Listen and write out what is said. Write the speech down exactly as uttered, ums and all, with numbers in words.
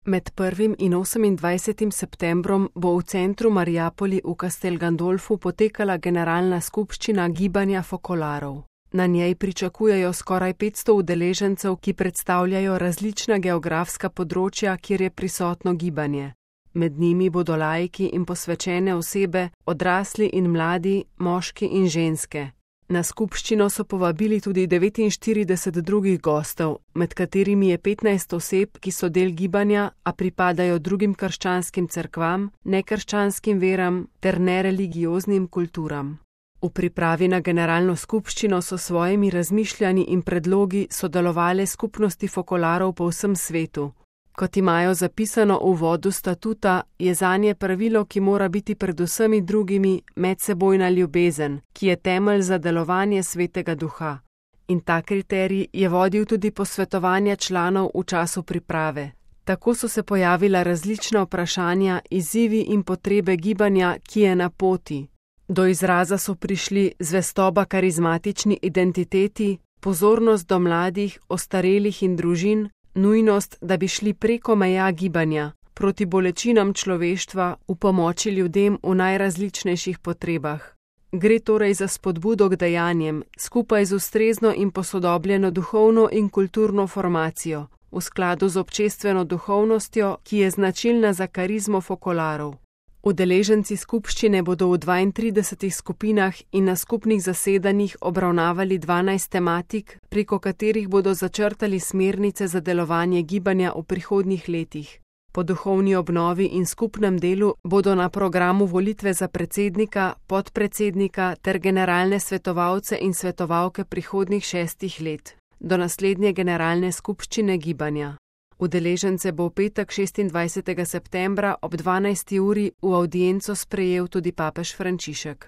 Med prvim in osemindvajsetim septembrom bo v centru Mariapoli v Castel Gandolfu potekala generalna skupščina Gibanja Fokolarov. Na njej pričakujejo skoraj petsto udeležencev, ki predstavljajo različna geografska področja, kjer je prisotno gibanje. Med njimi bodo laiki in posvečene osebe, odrasli in mladi, moški in ženske. Na skupščino so povabili tudi devetinštirideset drugih gostov, med katerimi je petnajst oseb, ki so del gibanja, a pripadajo drugim krščanskim cerkvam, nekrščanskim veram ter nereligioznim kulturam. V pripravi na generalno skupščino so svojimi razmišljanji in predlogi sodelovale skupnosti fokolarov po vsem svetu. Kot imajo zapisano v uvodu statuta, je zanje pravilo, ki mora biti pred vsemi drugimi, medsebojna ljubezen, ki je temelj za delovanje Svetega Duha. In ta kriterij je vodil tudi posvetovanja članov v času priprave. Tako so se pojavila različna vprašanja, izzivi in potrebe gibanja, ki je na poti. Do izraza so prišli zvestoba karizmatični identiteti, pozornost do mladih, ostarelih in družin, nujnost, da bi šli preko meja gibanja, proti bolečinam človeštva, v pomoči ljudem v najrazličnejših potrebah. Gre torej za spodbudo k dejanjem, skupaj z ustrezno in posodobljeno duhovno in kulturno formacijo, v skladu z občestveno duhovnostjo, ki je značilna za karizmo fokolarov. Udeleženci skupščine bodo v dvaintridesetih skupinah in na skupnih zasedanjih obravnavali dvanajst tematik, preko katerih bodo začrtali smernice za delovanje gibanja v prihodnjih letih. Po duhovni obnovi in skupnem delu bodo na programu volitve za predsednika, podpredsednika ter generalne svetovalce in svetovalke prihodnjih šestih let, do naslednje generalne skupščine gibanja. Udeležence bo v petek šestindvajsetega septembra ob dvanajsti uri v avdienco sprejel tudi papež Frančišek.